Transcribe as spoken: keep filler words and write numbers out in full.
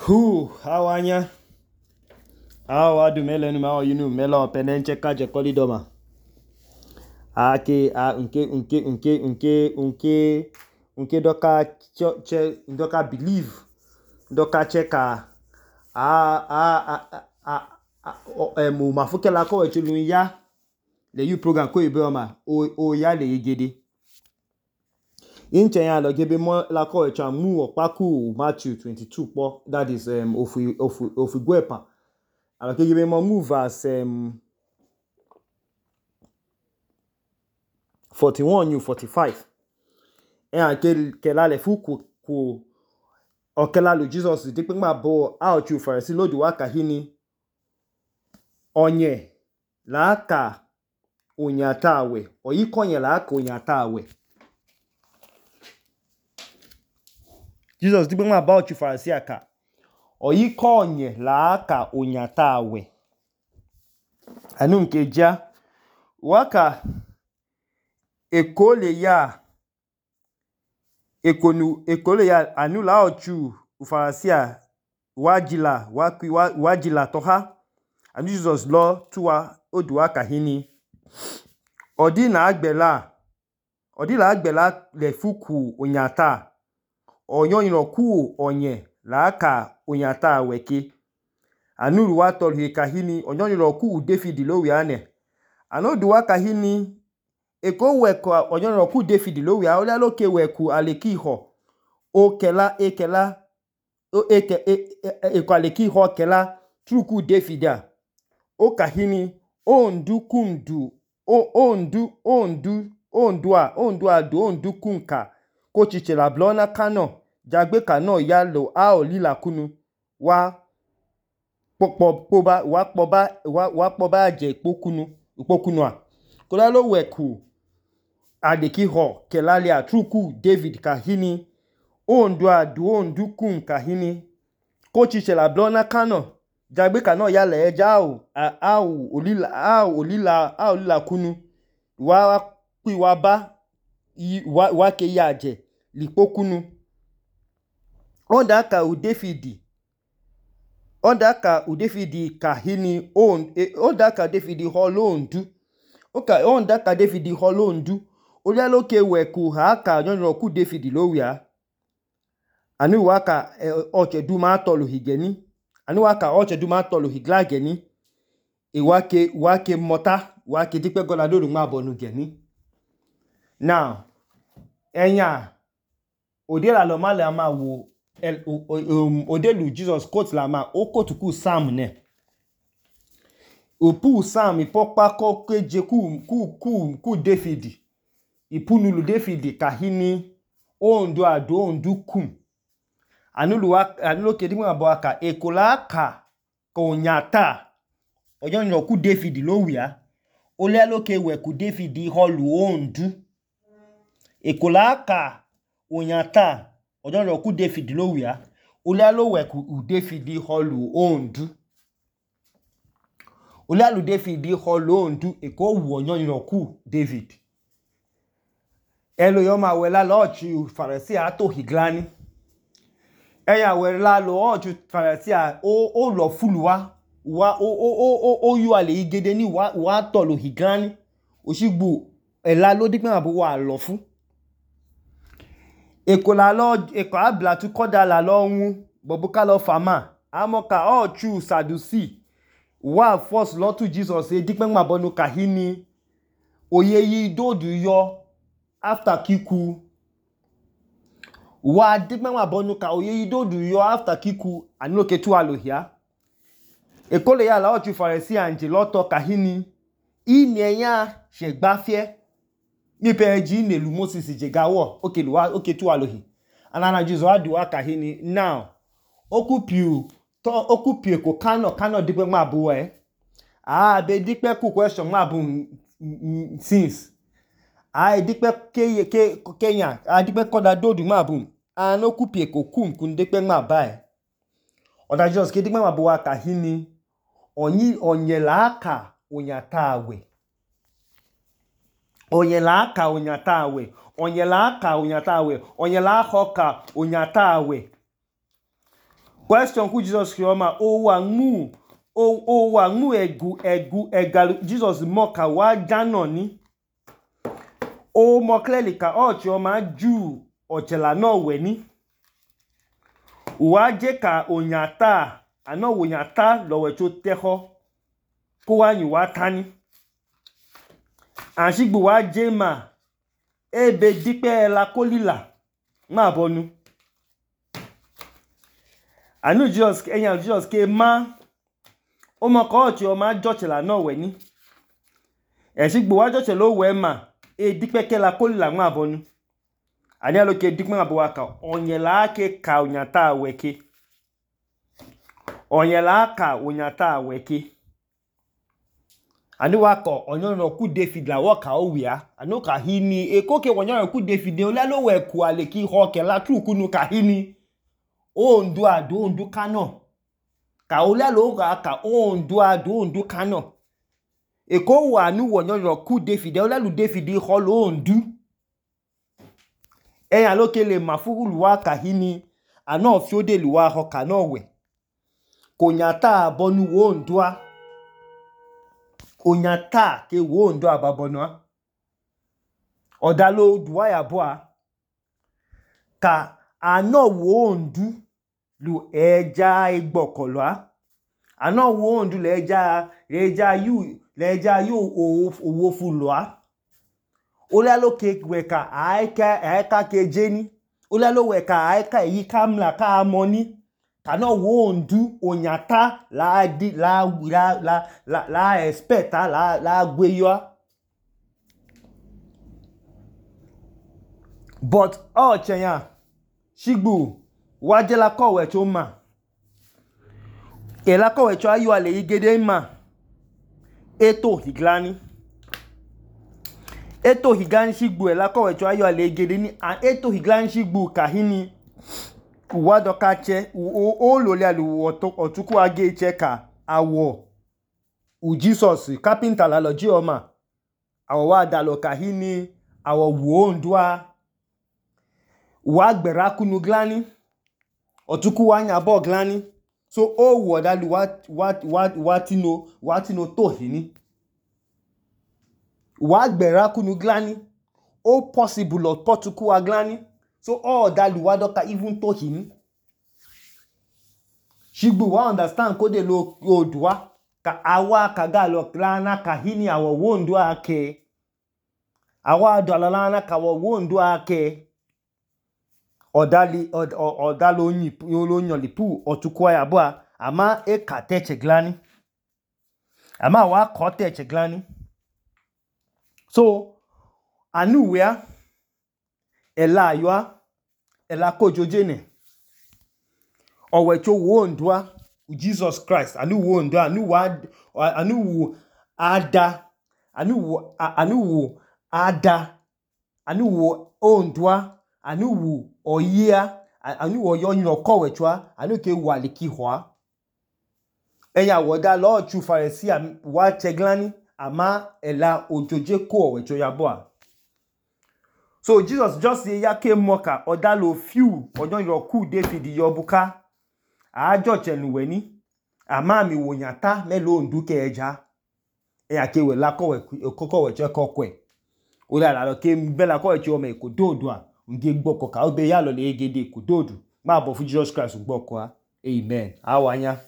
Hu, awanya. Awa du melenu ma oyinu melo penenche kaje kolidoma. Ake a nke nke nke nke nke nke doka che doka believe doka cheka a a a a emu mafukela ko echulu ya le you program ko ibeoma o o ya le igede. Inche ya lo gebe mo la ko echa mu opaku Matthew twenty-two po, that is um ofu ofu ofu gwepa. Alors que gebe mo move as um forty-one you forty-five. E an ke ke la le fu ku ku o ke la lo Jesus de pe ma bo a chu farisi lo du waka hini onye la ka onyatawe oyi konye la ka onyatawe. Jesus di pe ma ba chu farisi aka oyi konye la ka onyatawe. Anu nke ja waka ekole ya ekonu ekole ya anu la ochu ufarasia wajila wakwi wajila toha anu Jesus lo tuwa oduwa kahini odi na agbela odi la agbela le fuku onyata onyo inoku onye la ka onyata weke anu ruwa tolhi kahini onyo inoku David lo wi ane anu duwa kahini eko weku onyo inoku David lo wi a ole lo ke weku aleki ho o kela ekela o eke eko aleki ho kela truku David a o kahini ondu kundu o ondu ondu ondua ondua do ondu kunka ko chiche la blona kano jagbe kano ya lo a olila kunu wa popo poba wa poba wa wa poba je ipokunu ipokunu a ko la lo weku adeki ho kelali a truku David kahini ondua do ondu kunka hini ko chiche la blona kano jagbe kano ya le eja o a o olila a olila a olila kunu wa pi wa ba wa wa ke ya je lipokunu onda ka u David onda ka u David kahini on onda ka David holondu oka onda ka David holondu ole lo ke weku ha ka nyo ku David lo wi a anu waka oche du ma tolu higeni anu waka oche du ma tolu higlageni e wake wake mota wake dipe gola do ma bonu geni. Now enya ode la lo ma le ma wo ode lu Jesus quote la ma o quote ku Psalm ne o pu Psalm ipopa ko keje ku ku ku ku David ipunu lu David kahini ondu ado ondu kum anu lu anu lo ke di ma bo aka ekola ka ko nyata ojo nyo ku David lo wi a ole lo ke we ku David holu ondu ekola ka onyata ojo nyo ku David lo wi a ole lo we ku David holu ondu ole lu David holu ondu eko wu onyo nyo ku David elo yo ma we la lo chi farisi ato higlani eya we la lo oju farisi a o o lo fuluwa wa o o o o yu ale igede ni wa wa to lo higlani osigbu ela lo di pe ma bo wa lo fun eko la lo eko abla tu koda la lo wu bobu ka lo fama amoka o chu sadusi wa force lo tu Jesus e di pe ma bonu kahini oye yi dodu yo after kiku wa di pe ma bonu ka oye yi dodu yo after kiku anu ke tu alohia eko le ya la o chu farisi anje lo to kahini ini eyan se gbafie ni pe ji ne lu Moses je gawo oke lu wa oke tu alohi anana Jesus adu wa kahini now okupiu to okupiu ko kano kano di pe ma bo e ah be di pe ku question ma bo since ai di pe ke ke Kenya a di pe koda dodu ma bo an okupiu ko kum kun di pe ma ba e oda Jesus ke di pe ma bo wa kahini onyi onye la aka onyatawe onye la aka onyatawe onye la aka onyatawe onye la hoka onyatawe question ku Jesus krioma o wa mu o o wa mu egu egu egalu Jesus moka wa jano ni o mo clearly ka o chioma ju ochela no we ni wa je ka onyata ano onyata lo we cho teho ko wa yin wa tani anshigbu wa je ma ebe dipe la kolila ma bonu anu Jesus enya Jesus ke ma o mo ko ti o ma jochela no we ni anshigbu wa jochela o we ma e dipe ke la kolila ma bonu ani alo ke dipe ma bo wa ka onyela ke ka onyata we ke onyela ka onyata we ke ani wa ko onyo no ku David la wo ka o wia anu ka hini e ko ke onyo ku David o la lo we ku ale ki ho ke la tru kunu ka hini o ndu adu ndu kano ka o la lo ga ka o ndu adu ndu kano e ko wa nu onyo no ku David o la lu David ho lo ndu e ya lo ke le mafuru wa ka hini ana fi o de lu wa ho ka no we ko nyata bonu wo ndua onyata ke wo ndo ababonwa odalo duwa ya boa ka ano wo ndu lu eja igbokolo ano wo ndu le eja eja yu le eja yu owo fulwa olalo ke we ka aika aika ke jeni olalo we ka aika yi kamla ka amoni kano wo ndu onyata la di la la la la, la expect la la gweyo but o chenya shigbu waje la ko we cho ma e la ko we cho ayu ale igede ma eto higlani eto higani shigbu e la ko we cho ayu ale igede ni an eto higlani shigbu kahini uwa doka che o lo le alu otuku age che ka awo u Jesus carpenter la lo ji oma awo wa da lo kahini awo wo ndua wa gbera kunu glani otuku wa nya bo glani so o wo da lu wa wa wa tino wa tino to hini wa gbera kunu glani o possible o potuku wa glani so all that lu wa doka even to him shigbu wa understand ko de lo odua ka awa ka ga lo klana ka hini awo wondu ake awa dolalana ka wo wondu ake odali od, odalo nyi lo nyolipu otukwa ya boa ama e ka teche glani ama wa ko teche glani so anu wea ela yoa ela kojojene owecho wo ndua Jesus Christ anu wo ndua anu wa anu wo ada anu wo anu wo ada anu wo ondua anu wo oyia anu wo yo nyo ko wechwa anu ke wali ki hwa eya woda lo chu Pharisee wa cheglani ama ela ojoje ko wecho ya boa. So Jesus just say yake moka odalo few ojon yo ku David yo buka ajo chenuwe ni ama mi wonyata melo nduke eja e yake we la ko we koko we che kokwe o la la ke bela ko che o me ko dodo a nge gboko ka o be ya lo le egede ko dodo ma bo fu Jesus Christ gboko a amen awanya.